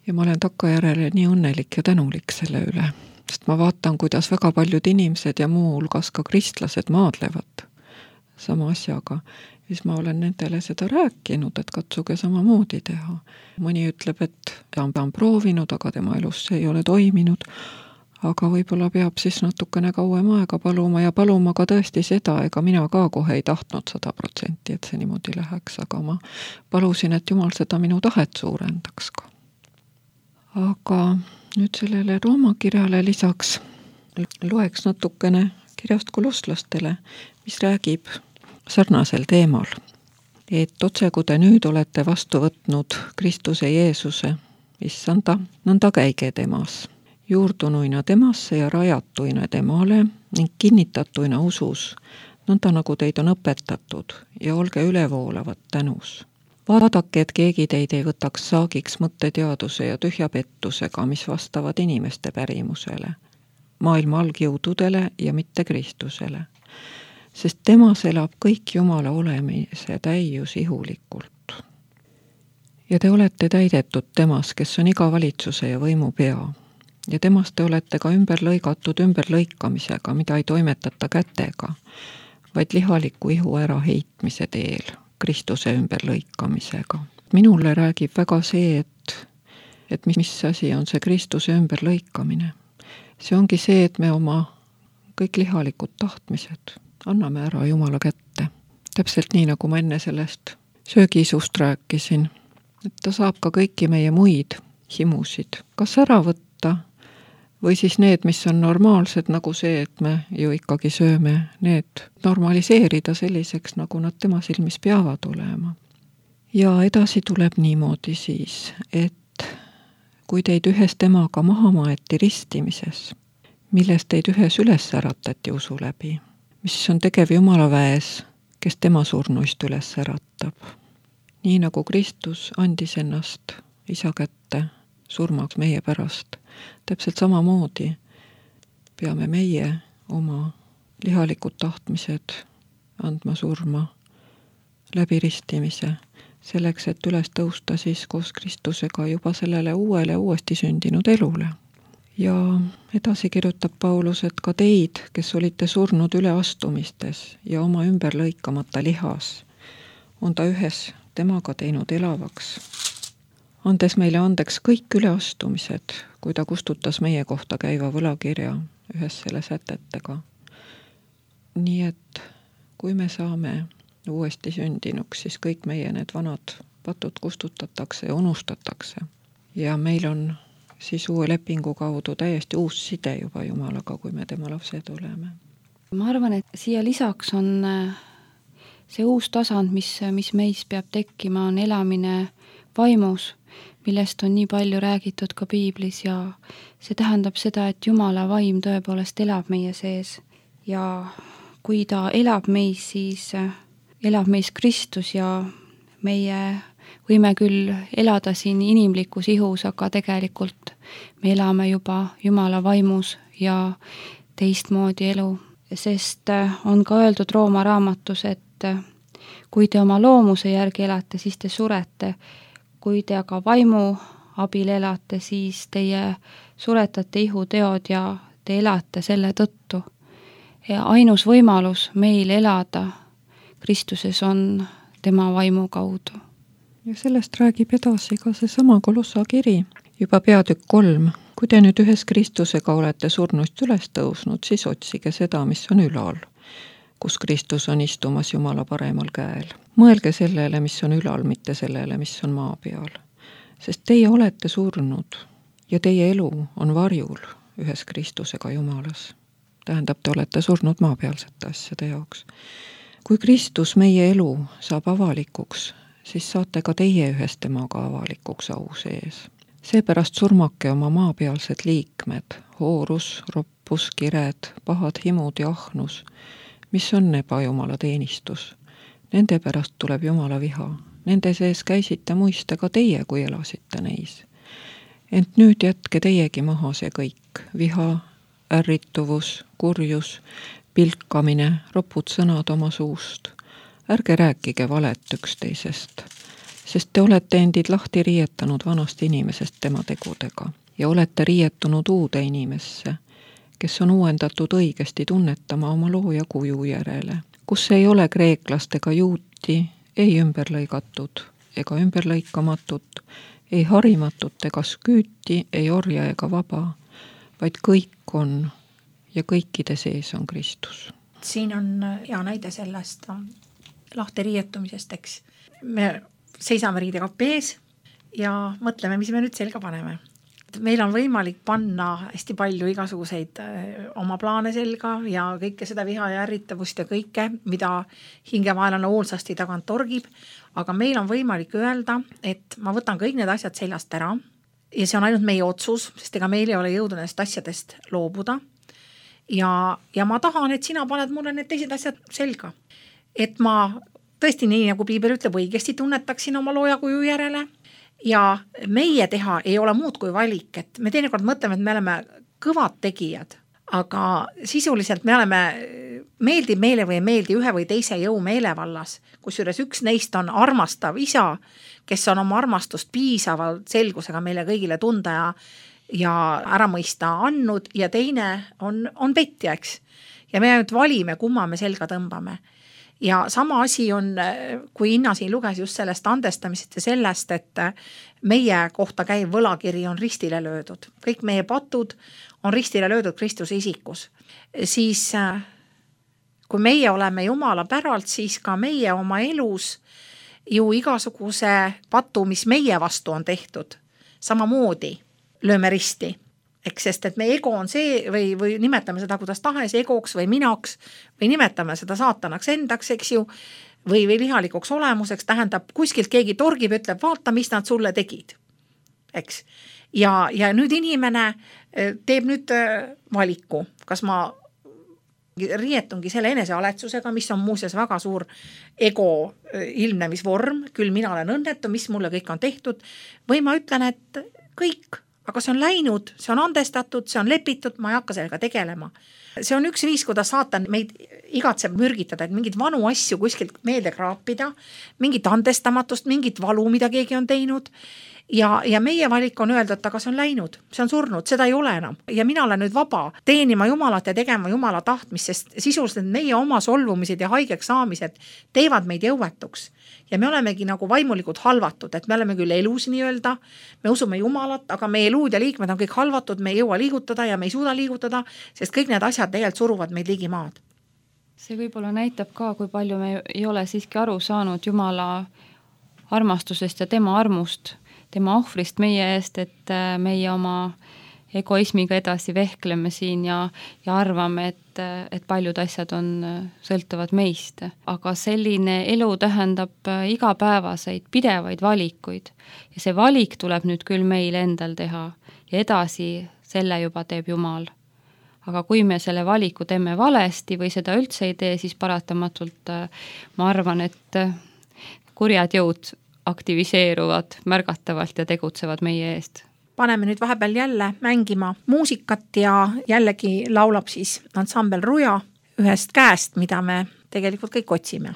Ja ma olen takkajärele nii õnnelik ja tänulik selle üle. Sest ma vaatan, kuidas väga paljud inimesed ja muu hulgas ka kristlased maadlevad sama asjaga. Ja siis ma olen nendele seda rääkinud, et katsuge samamoodi teha. Mõni ütleb, et ta on proovinud, aga tema elus see ei ole toiminud. Aga võib-olla peab siis natukene kauem aega paluma ja paluma ka tõesti seda, ega mina ka kohe ei tahtnud sada protsenti, et see niimoodi läheks, aga ma palusin, et Jumal seda minu tahet suurendaks ka. Aga nüüd sellele Rooma kirjale lisaks loeks natukene kirjast kolosslastele, mis räägib sarnasel teemal, et otse kui te nüüd olete vastu võtnud Kristuse Jeesuse, issanda, nõnda käige temas. Juurdunuina temasse ja rajatuina temale ning kinnitatuina usus, nõnda nagu teid on õpetatud ja olge ülevoolavat tänus. Vaadake, et keegi teid ei võtaks saagiks mõtteteaduse ja tühja pettusega, mis vastavad inimeste pärimusele, maailma algjõududele ja mitte Kristusele, sest temas elab kõik Jumala olemise täius ihulikult. Ja te olete täidetud temas, kes on iga valitsuse ja võimu pea. Ja temast te olete ka ümber lõigatud ümberlõikamisega, mida ei toimetata kätega, vaid lihaliku ihu ära heitmise teel, Kristuse ümberlõikamisega. Minule räägib väga see, et, et mis, mis asi on see Kristuse ümberlõikamine. See ongi see, et me oma kõik lihalikud tahtmised anname ära Jumala kätte. Täpselt nii, nagu ma enne sellest söögiisust rääkisin, et ta saab ka kõiki meie muid himusid kas ära võtta, või siis need, mis on normaalsed, nagu see, et me ju ikkagi sööme, need normaliseerida selliseks, nagu nad tema silmis peavad olema. Ja edasi tuleb niimoodi siis, et kui teid ühes temaga maha maeti ristimises, milles teid ühes üles äratati usu läbi, mis on tegev Jumala väes, kes tema surnuist üles äratab. Nii nagu Kristus andis ennast isa kätte surmaks meie pärast, täpselt samamoodi peame meie oma lihalikud tahtmised andma surma läbi ristimise, selleks, et üles tõusta siis koos Kristusega juba sellele uuele uuesti sündinud elule. Ja edasi kirjutab Paulus, et ka teid, kes olite surnud üleastumistes ja oma ümber lõikamata lihas, on ta ühes temaga teinud elavaks, andes meile andeks kõik üleastumised, kui ta kustutas meie kohta käiva võlakirja ühes selle sätetega. Nii et kui me saame uuesti sündinuks, siis kõik meie need vanad patud kustutatakse ja unustatakse. Ja meil on siis uue lepingu kaudu täiesti uus side juba Jumalaga, kui me tema lapsed oleme. Ma arvan, et siia lisaks on see uus tasand, mis, mis meis peab tekkima, on elamine vaimus, millest on nii palju räägitud ka piiblis ja see tähendab seda, et Jumala vaim tõepoolest elab meie sees ja kui ta elab meis, siis elab meis Kristus ja meie võime küll elada siin inimlikus ihus, aga tegelikult me elame juba Jumala vaimus ja teistmoodi elu, sest on ka öeldud Rooma raamatus, et kui te oma loomuse järgi elate, siis te surete. Kui te aga vaimu abil elate, siis teie suretate ihuteod ja te elate selle tõttu. Ja ainus võimalus meil elada Kristuses on tema vaimu kaudu. Ja sellest räägib edasi ka see sama Kolossa kiri, juba peatükk kolm. Kui te nüüd ühes Kristusega olete surnust üles tõusnud, siis otsige seda, mis on ülal, kus Kristus on istumas Jumala paremal käel. Mõelge sellele, mis on ülal, mitte sellele, mis on maa peal. Sest teie olete surnud ja teie elu on varjul ühes Kristusega Jumalas. Tähendab, te olete surnud maapealsete asjade jaoks. Kui Kristus meie elu saab avalikuks, siis saate ka teie ühes temaga avalikuks au sees. Seepärast surmake oma maapealsed liikmed, hoorus, roppus, kired, pahad himud ja ahnus, mis on ebajumala teenistus. Nende pärast tuleb Jumala viha. Nende sees käisite muiste ka teie, kui elasite neis. Ent nüüd jätke teiegi maha see kõik, viha, ärrituvus, kurjus, pilkamine, ropud sõnad oma suust. Ärge rääkige valet üksteisest, sest te olete endid lahti riietanud vanast inimesest tema tegudega ja olete riietunud uude inimesse, kes on uuendatud õigesti tunnetama oma looja kuju järele, kus ei ole kreeklastega juuti, ei ümberlõigatud ega ümberlõikamatut, ei harimatut ega sküüti, ei orja ega vaba, vaid kõik on ja kõikide sees on Kristus. Siin on hea näide sellest lahti riietumisest, eks. Me seisame riidekapi ees ja mõtleme, mis me nüüd selga paneme. Meil on võimalik panna hästi palju igasuguseid oma plaane selga ja kõike seda viha ja ärritavust ja kõike, mida hingemaelane hoolsasti tagant torgib, aga meil on võimalik öelda, et ma võtan kõik need asjad seljast ära ja see on ainult meie otsus, sest ega meil ei ole jõudu nendest asjadest loobuda ja, ja ma tahan, et sina paned mulle need teised asjad selga. Et ma tõesti nii, nagu Piibel ütleb, õigesti tunnetaksin oma looja kuju järele ja meie teha ei ole muud kui valik, et me teinekord mõtleme, et me oleme kõvad tegijad, aga sisuliselt me oleme, meeldib meile või ei meeldi ühe või teise jõu meelevallas, kusjuures üks neist on armastav isa, kes on oma armastust piisavalt selgusega meile kõigile tunda ja, ja ära mõista andnud ja teine on, on petja, eks. Ja me ainult valime, kumma me selga tõmbame. Ja sama asi on, kui Inna siin luges just sellest andestamisest ja sellest, et meie kohta käiv võlakiri on ristile löödud. Kõik meie patud on ristile löödud Kristuse isikus. Siis kui meie oleme Jumala päralt, siis ka meie oma elus ju igasuguse patu, mis meie vastu on tehtud, samamoodi lööme risti. Eks, sest et meie ego on see või, või nimetame seda kuidas tahes egoks või minaks või nimetame seda saatanaks endaks, eks ju, või, või lihalikuks olemuseks, tähendab kuskilt keegi torgib, ütleb, vaata, mis nad sulle tegid. Eks. Ja, ja nüüd inimene teeb nüüd valiku, kas ma riietungi selle enesealetsusega, mis on muuseas väga suur ego ilmnemisvorm, küll mina olen õnnetu, mis mulle kõik on tehtud, või ma ütlen, et kõik aga see on läinud, see on andestatud, see on lepitud, ma ei hakka sellega tegelema. See on üks viis, kuidas saatan meid igatseb mürgitada, et mingid vanu asju kuskilt meelde kraapida, mingit andestamatust, mingit valu, mida keegi on teinud ja, ja meie valik on öelda, et aga see on läinud, see on surnud, seda ei ole enam ja mina olen nüüd vaba teenima Jumalat ja tegema Jumala tahtmist, sest sisuliselt meie oma solvumised ja haigeks saamised teevad meid jõuetuks. Ja me olemegi nagu vaimulikult halvatud, et me oleme küll elus nii öelda, me usume Jumalat, aga meie luud ja liikmed on kõik halvatud, me ei jõua liigutada ja me ei suuda liigutada, sest kõik need asjad tegelikult suruvad meid ligi maad. See võib-olla näitab ka, kui palju me ei ole siiski aru saanud Jumala armastusest ja tema armust, tema ohvrist meie eest, et meie oma egoismiga edasi vehkleme siin ja, ja arvame, et, et paljud asjad on, sõltuvad meist. Aga selline elu tähendab igapäevaseid, pidevaid valikuid. Ja see valik tuleb nüüd küll meil endal teha ja edasi selle juba teeb Jumal. Aga kui me selle valiku teeme valesti või seda üldse ei tee, siis paratamatult ma arvan, et kurjad jõud aktiviseeruvad märgatavalt ja tegutsevad meie eest. Paneme nüüd vahepeal jälle mängima muusikat ja jällegi laulab siis ansambel Ruja ühest käest, mida me tegelikult kõik otsime.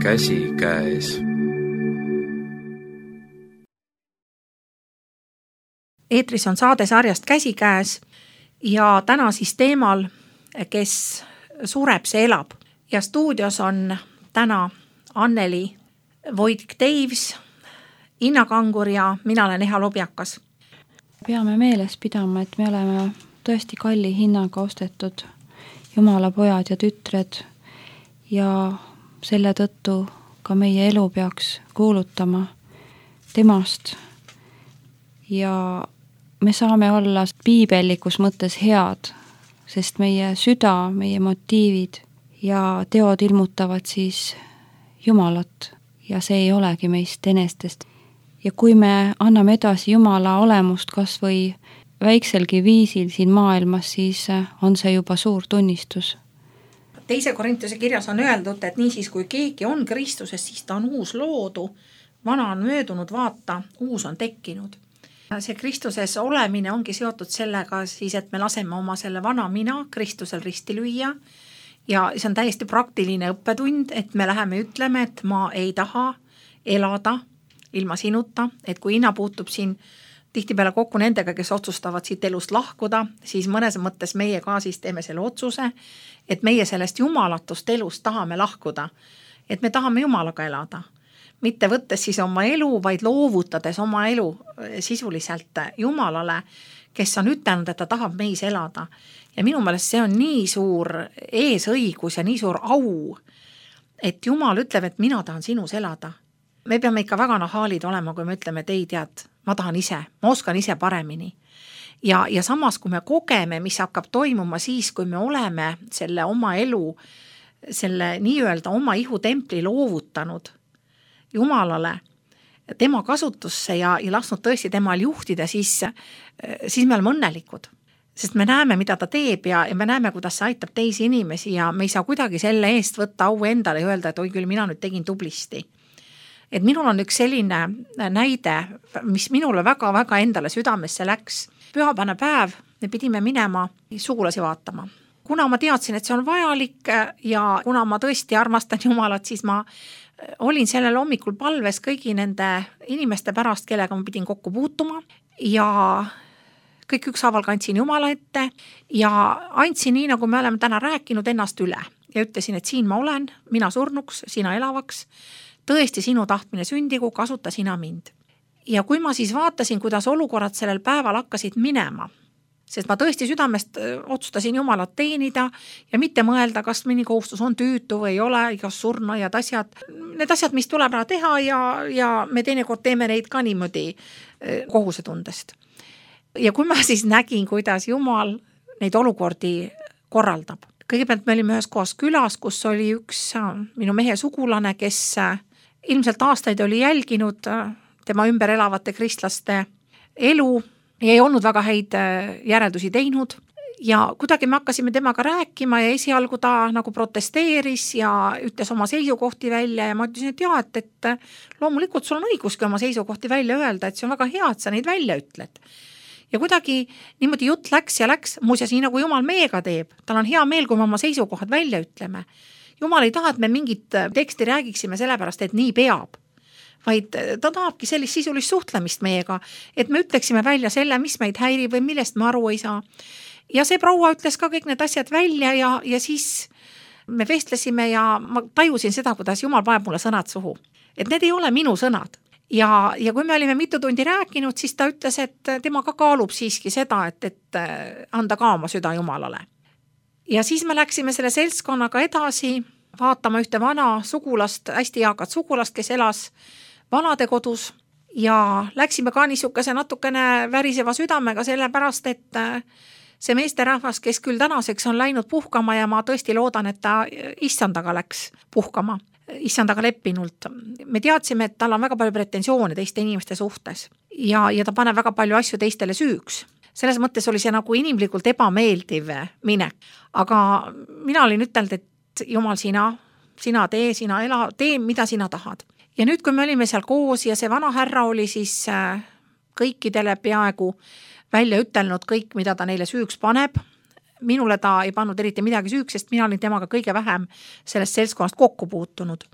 käsikäes. Eetris on saade sarjast Käsikäes ja täna siis teemal, kes sureb, see elab. Ja stuudios on täna Anneli Voitk-Teivs, Inna Kangur ja mina olen Eha Lobjakas. Peame meeles pidama, et me oleme tõesti kalli hinnaga ostetud Jumala pojad ja tütred ja selle tõttu ka meie elu peaks kuulutama temast ja me saame olla piibellikus mõttes head, sest meie süda, meie motiivid ja teod ilmutavad siis Jumalat ja see ei olegi meist enestest. Ja kui me anname edasi Jumala olemust kas või väikselgi viisil siin maailmas, siis on see juba suur tunnistus. Teise Korintuse kirjas on öeldud, et niisiis kui keegi on Kristuses, siis ta on uus loodu, vana on möödunud, vaata, uus on tekkinud. See Kristuses olemine ongi seotud sellega siis, et me laseme oma selle vana mina Kristusel risti lüüa ja see on täiesti praktiline õppetund, et me läheme ütleme, et ma ei taha elada ilma sinuta, et kui Inna puutub siin tihtipeale kokku nendega, kes otsustavad siit elust lahkuda, siis mõnes mõttes meie ka siis teeme selle otsuse, et meie sellest jumalatust elust tahame lahkuda, et me tahame Jumalaga elada. Mitte võttes siis oma elu, vaid loovutades oma elu sisuliselt Jumalale, kes on ütelnud, et ta tahab meis elada. Ja minu meelest see on nii suur eesõigus ja nii suur au, et Jumal ütleb, et mina tahan sinus elada. Me peame ikka väga nahaalid olema, kui me ütleme, et ei tead, ma tahan ise, ma oskan ise paremini. Ja, ja samas, kui me kogeme, mis hakkab toimuma siis, kui me oleme selle oma elu, selle nii-öelda oma ihutempli loovutanud Jumalale, tema kasutusse ja, ja lasknud tõesti temal juhtida, siis, siis me oleme õnnelikud. Sest me näeme, mida ta teeb ja, ja me näeme, kuidas see aitab teisi inimesi ja me ei saa kuidagi selle eest võtta au endale ja öelda, et oi küll, mina nüüd tegin tublisti. Et minul on üks selline näide, mis minule väga-väga endale südamesse läks. Pühapäevane päev me pidime minema sugulasi vaatama. Kuna ma teadsin, et see on vajalik ja kuna ma tõesti armastan Jumalat, siis ma olin sellel hommikul palves kõigi nende inimeste pärast, kellega ma pidin kokku puutuma ja kõik ükshaaval kandsin Jumala ette ja andsin nii, nagu me oleme täna rääkinud, ennast üle ja ütlesin, et siin ma olen, mina surnuks, sina elavaks, tõesti sinu tahtmine sündigu, kasuta sina mind. Ja kui ma siis vaatasin, kuidas olukorrad sellel päeval hakkasid minema, sest ma tõesti südamest otsustasin Jumalat teenida ja mitte mõelda, kas mõni kohustus on tüütu või ei ole, igas surnajad asjad. Need asjad, mis tuleb ära teha ja, ja me teinekord teeme neid ka niimoodi kohusetundest. Ja kui ma siis nägin, kuidas Jumal neid olukordi korraldab. Kõigepealt me olime ühes kohas külas, kus oli üks minu mehe sugulane, kes ilmselt aastaid oli jälginud tema ümber elavate kristlaste elu ja ei olnud väga häid järeldusi teinud ja kuidagi me hakkasime temaga rääkima ja esialgu ta nagu protesteeris ja ütles oma seisukohti välja ja ma ütlesin, et jah, et, et loomulikult sul on õiguski oma seisukohti välja öelda, et see on väga hea, et sa neid välja ütled. Ja kuidagi niimoodi jutt läks ja läks, muuseas nii nagu Jumal meiega teeb, tal on hea meel, kui me oma seisukohad välja ütleme. Jumal ei taha, et me mingit teksti räägiksime sellepärast, et nii peab. Vaid ta tahabki sellist sisulist suhtlemist meiega, et me ütleksime välja selle, mis meid häirib või millest me aru ei saa. Ja see proua ütles ka kõik need asjad välja ja, ja siis me vestlesime ja ma tajusin seda, kuidas Jumal paneb mulle sõnad suhu. Et need ei ole minu sõnad. Ja, ja kui me olime mitu tundi rääkinud, siis ta ütles, et tema ka kaalub siiski seda, et, et anda ka oma süda Jumalale. Ja siis me läksime selle seltskonnaga edasi vaatama ühte vana sugulast, hästi eakat sugulast, kes elas vanade kodus ja läksime ka niisuguse natukene väriseva südamega sellepärast, et see meesterahvas, kes küll tänaseks on läinud puhkama ja ma tõesti loodan, et ta issandaga läks puhkama, issandaga leppinult. Me teadsime, et tal on väga palju pretensioone teiste inimeste suhtes ja, ja ta paneb väga palju asju teistele süüks. Selles mõttes oli see nagu inimlikult ebameeldiv minek. Aga mina olin ütelnud, et Jumal, sina, sina tee, sina ela, tee, mida sina tahad. Ja nüüd, kui me olime seal koos ja see vana härra oli siis kõikidele peaaegu välja ütelnud kõik, mida ta neile süüks paneb, minule ta ei pannud eriti midagi süüks, sest mina olin temaga kõige vähem sellest seltskonnast kokku puutunud.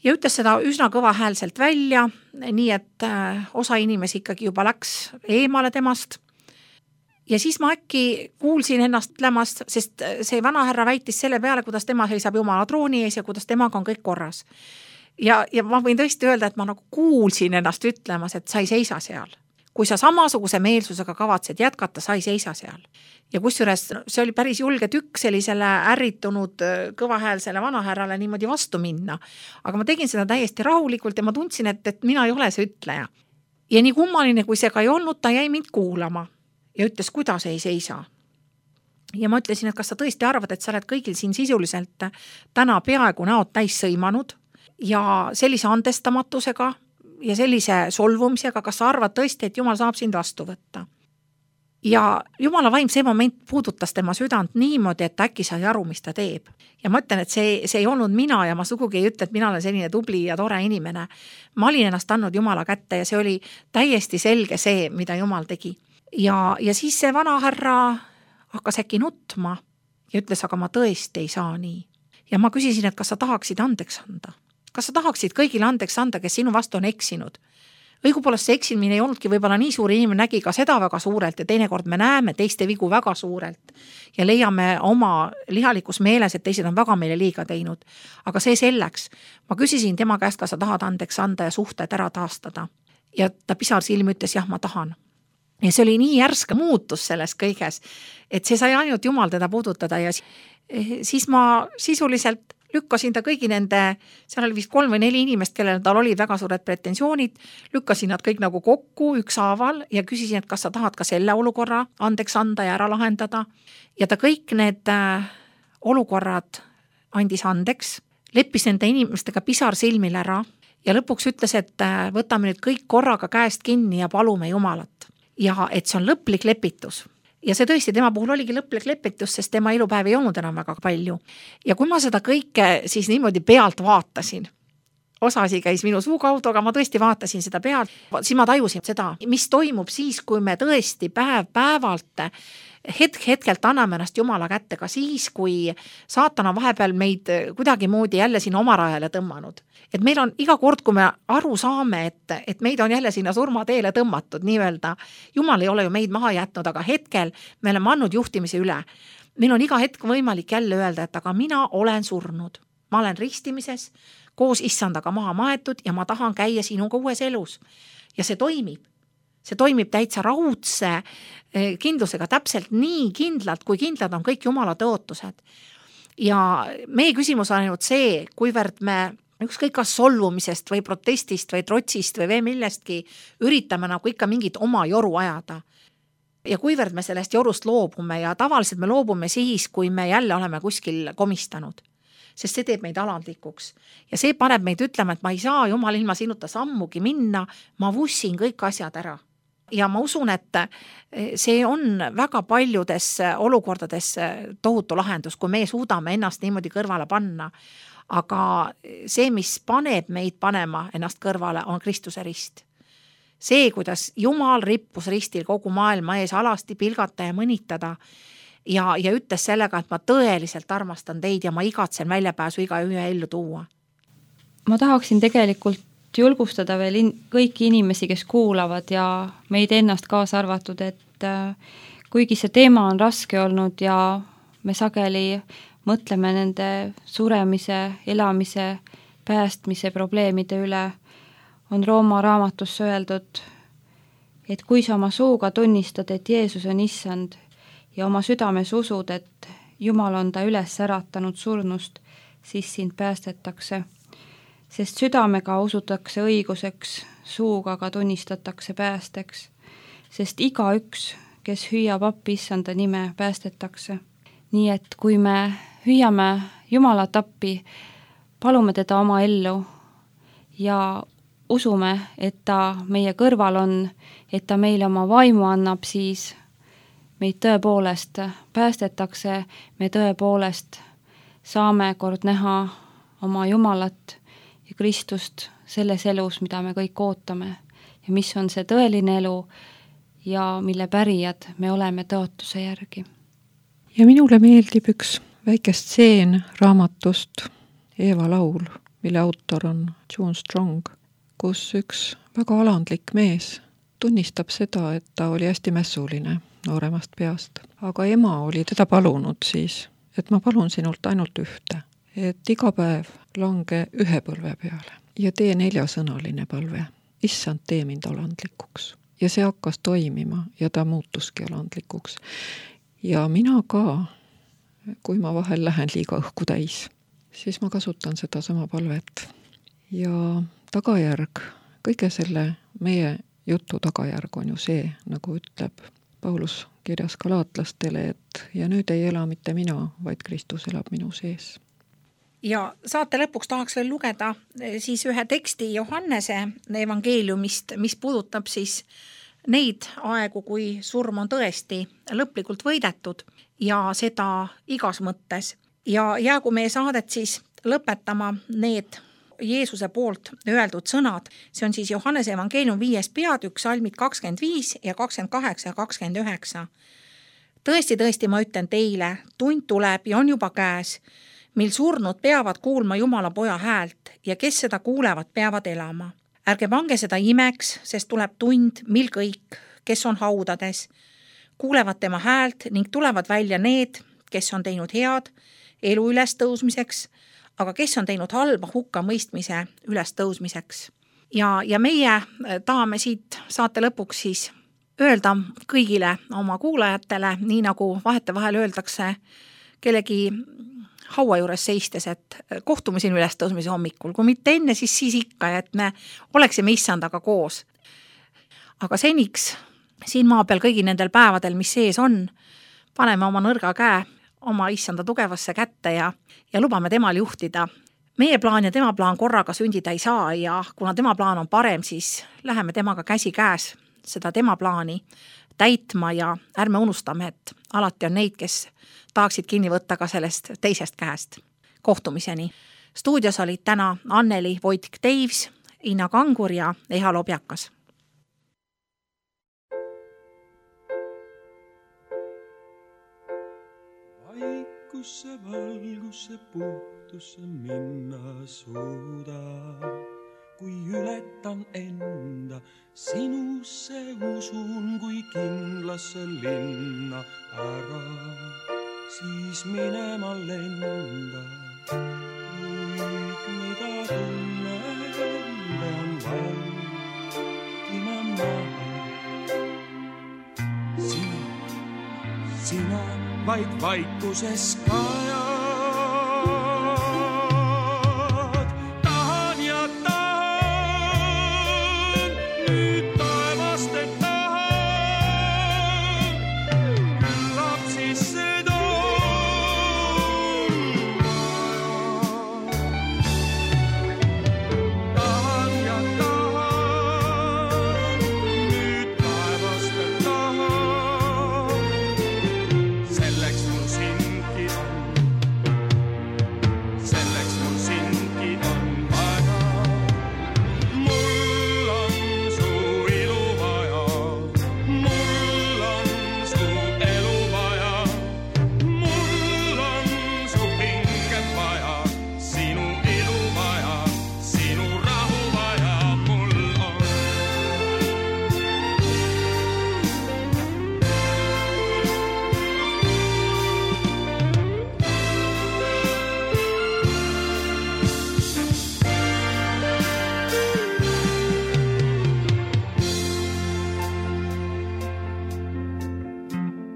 ja ütles seda üsna kõva häälselt välja, nii et osa inimesi ikkagi juba läks eemale temast. Ja siis ma äkki kuulsin ennast ütlemast, sest see vanahärra väitis selle peale, kuidas tema seisab Jumala trooni ees ja kuidas temaga on kõik korras. Ja, ja ma võin tõesti öelda, et ma nagu kuulsin ennast ütlemas, et sa ei seisa seal. Kui sa samasuguse meelsusega kavatsed jätkata, sa ei seisa seal. Ja kusjuures see oli päris julge tükk sellisele ärritunud kõvahäälsele vanahärrale niimoodi vastu minna. Aga ma tegin seda täiesti rahulikult ja ma tundsin, et, et mina ei ole see ütleja. Ja nii kummaline, kui see ka ei olnud, ta jäi mind kuulama ja ütles, kuidas ei seisa. Ja ma ütlesin, et kas sa tõesti arvad, et sa oled kõigil siin sisuliselt täna peaaegu näod täis sõimanud ja sellise andestamatusega ja sellise solvumisega, kas sa arvad tõesti, et Jumal saab sind vastu võtta. Ja Jumala vaim see moment puudutas tema südant niimoodi, et äkki sai aru, mis ta teeb. Ja ma ütlen, et see, see ei olnud mina ja ma sugugi ei ütle, et mina olen selline tubli ja tore inimene. Ma olin ennast andnud Jumala kätte ja see oli täiesti selge see, mida Jumal tegi. Ja, ja siis see vanahärra hakkas äkki nutma ja ütles, aga ma tõesti ei saa nii. Ja ma küsisin, et kas sa tahaksid andeks anda? Kas sa tahaksid kõigile andeks anda, kes sinu vastu on eksinud? Õigupoolest see eksimine ei olnudki võib-olla nii suur, inimene nägi ka seda väga suurelt ja teinekord me näeme teiste vigu väga suurelt ja leiame oma lihalikus meeles, et teised on väga meile liiga teinud. Aga see selleks. Ma küsisin tema käest, kas sa tahad andeks anda ja suhted ära taastada. Ja ta pisar silmi ütles, jah, ma tahan. Ja see oli nii järske muutus selles kõiges, et see sai ainult Jumal teda puudutada ja siis ma sisuliselt lükkasin ta kõigi nende, seal oli vist kolm või neli inimest, kellel tal olid väga suured pretensioonid, lükkasin nad kõik nagu kokku ükshaaval ja küsisin, et kas sa tahad ka selle olukorra andeks anda ja ära lahendada. Ja ta kõik need olukorrad andis andeks, leppis nende inimestega pisar silmil ära ja lõpuks ütles, et võtame nüüd kõik korraga käest kinni ja palume Jumalat. Ja et see on lõplik lepitus. Ja see tõesti tema puhul oligi lõplik lepitus, sest tema elupäev ei olnud enam väga palju. Ja kui ma seda kõike siis niimoodi pealt vaatasin, osasi käis minu suu kaudu, aga ma tõesti vaatasin seda pealt, siis ma tajusin seda, mis toimub siis, kui me tõesti päev päevalt hetk hetkelt anname ennast Jumala kätte, ka siis, kui saatan on vahepeal meid kuidagi moodi jälle sinna oma rajale tõmmanud. Et meil on iga kord, kui me aru saame, et, et meid on jälle sinna surmateele tõmmatud, nii öelda, Jumal ei ole ju meid maha jätnud, aga hetkel me oleme andnud juhtimise üle. Meil on iga hetk võimalik jälle öelda, et aga mina olen surnud. Ma olen ristimises, koos issandaga maha maetud ja ma tahan käia sinuga uues elus. Ja see toimib. See toimib täitsa raudse kindlusega täpselt nii kindlalt, kui kindlad on kõik Jumala tõotused. Ja meie küsimus on ainult see, kuivõrd me ükskõik kas solvumisest või protestist või trotsist või veel millestki üritame nagu ikka mingit oma joru ajada. Ja kuivõrd me sellest jorust loobume ja tavaliselt me loobume siis, kui me jälle oleme kuskil komistanud. Sest see teeb meid alandlikuks. Ja see paneb meid ütlema, et ma ei saa Jumal ilma sinuta sammugi minna, ma vussin kõik asjad ära. Ja ma usun, et see on väga paljudes olukordades tohutu lahendus, kui me suudame ennast niimoodi kõrvale panna. Aga see, mis paneb meid panema ennast kõrvale, on Kristuse rist. See, kuidas Jumal rippus ristil kogu maailma ees alasti pilgata ja mõnitada ja, ja ütles sellega, et ma tõeliselt armastan teid ja ma igatsen väljapääsu iga ühe ellu tuua. Ma tahaksin tegelikult julgustada veel in- kõiki inimesi, kes kuulavad ja meid ennast kaasa arvatud, et äh, kuigi see teema on raske olnud ja me sageli mõtleme nende suremise, elamise, päästmise probleemide üle, on Rooma raamatusse öeldud, et kui sa oma suuga tunnistad, et Jeesus on issand ja oma südames usud, et Jumal on ta üles äratanud surnust, siis sind päästetakse. Sest südamega usutakse õiguseks, suuga ka tunnistatakse päästeks, sest iga üks, kes hüüab appi issanda nime, päästetakse. Nii et kui me hüüame Jumalat appi, palume teda oma ellu ja usume, et ta meie kõrval on, et ta meile oma vaimu annab, siis meid tõepoolest päästetakse, me tõepoolest saame kord näha oma Jumalat ja Kristust selles elus, mida me kõik ootame ja mis on see tõeline elu ja mille pärijad me oleme tõotuse järgi. Ja minule meeldib üks väike stseen raamatust Eeva laul, mille autor on June Strong, kus üks väga alandlik mees tunnistab seda, et ta oli hästi mässuline nooremast peast. Aga ema oli teda palunud siis, et ma palun sinult ainult ühte, et iga päev lange ühe põlve peale ja tee neljasõnaline palve. Issand, tee mind alandlikuks. Ja see hakkas toimima ja ta muutuski alandlikuks. Ja mina ka, kui ma vahel lähen liiga õhku täis, siis ma kasutan seda sama palvet. Ja tagajärg, kõige selle meie jutu tagajärg on ju see, nagu ütleb Paulus kirjas galaatlastele, et ja nüüd ei ela mitte mina, vaid Kristus elab minu sees. Ja saate lõpuks tahaks veel lugeda siis ühe teksti Johannese evangeeliumist, mis puudutab siis neid aegu, kui surm on tõesti lõplikult võidetud ja seda igas mõttes. Ja jäägu meie saadet siis lõpetama need Jeesuse poolt öeldud sõnad. See on siis Johannese evangeelium viies peatükk, salmid kakskümmend viis ja kakskümmend kaheksa ja kakskümmend üheksa. Tõesti, tõesti, ma ütlen teile, tund tuleb ja on juba käes, mil surnud peavad kuulma Jumala poja häält ja kes seda kuulevad, peavad elama. Ärge pange seda imeks, sest tuleb tund, mil kõik, kes on haudades, kuulevad tema häält ning tulevad välja need, kes on teinud head elu ülestõusmiseks, aga kes on teinud halba hukka mõistmise ülestõusmiseks. Ja, ja meie tahame siit saate lõpuks siis öelda kõigile oma kuulajatele, nii nagu vahetevahel öeldakse kellegi haua juures seistes, et kohtume siin ülestõusmise hommikul, kui mitte enne, siis siis ikka, et me oleksime issandaga koos. Aga seniks siin maa peal kõigi nendel päevadel, mis sees on, paneme oma nõrga käe oma issanda tugevasse kätte ja, ja lubame temal juhtida. Meie plaan ja tema plaan korraga sündida ei saa ja kuna tema plaan on parem, siis läheme temaga käsi käes seda tema plaani täitma ja ärme unustame, et alati on neid, kes tahaksid kinni võtta ka sellest teisest käest. Kohtumiseni. Stuudios olid täna Anneli Voitk-Teivs, Ina Kangur ja Eha Lobjakas. Vaikusse, valgusse, puhtusse minna suuda, kui ületan enda, sinusse usun, kui kindlasse linna ära, siis minema lenda. Kõik, mida tunnen, pean vaikima maha. Sina, sina vaid vaikuses kajad. Tahan ja tahan, nüüd taevast et tahan, küllap siis seda tahan ja tahan, nüüd taevast et tahan, selleks mul sindki on, selleks mul sindki on vaja. Mul on su ilu vaja, mul on su elu vaja, mul on su pinget vaja, sinu ilu vaja, sinu rahu vaja, mul on.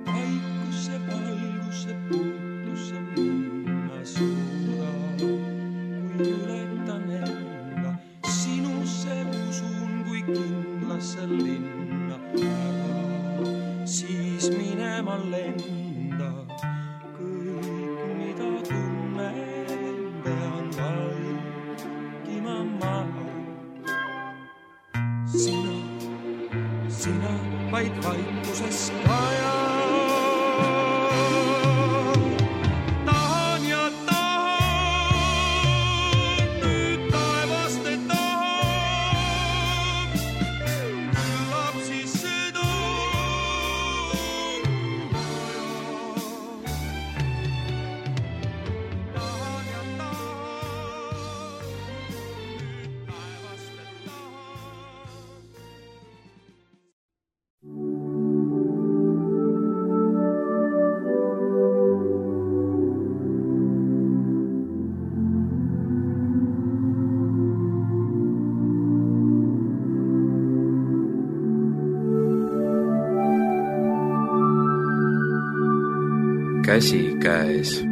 Vaikusse, valgusse, puhtusse minna suuda, kui ületan enda, sinusse usun, kui kindlasse linna ära, siis minema lenda. Kõik, mida tunnen, pean vaikima maha. Sina, sina vaid vaikuses kajad. Tahan ja tahan, nüüd taevast et tahan, küllap siis seda vaja. Tahan ja tahan. käsikäes.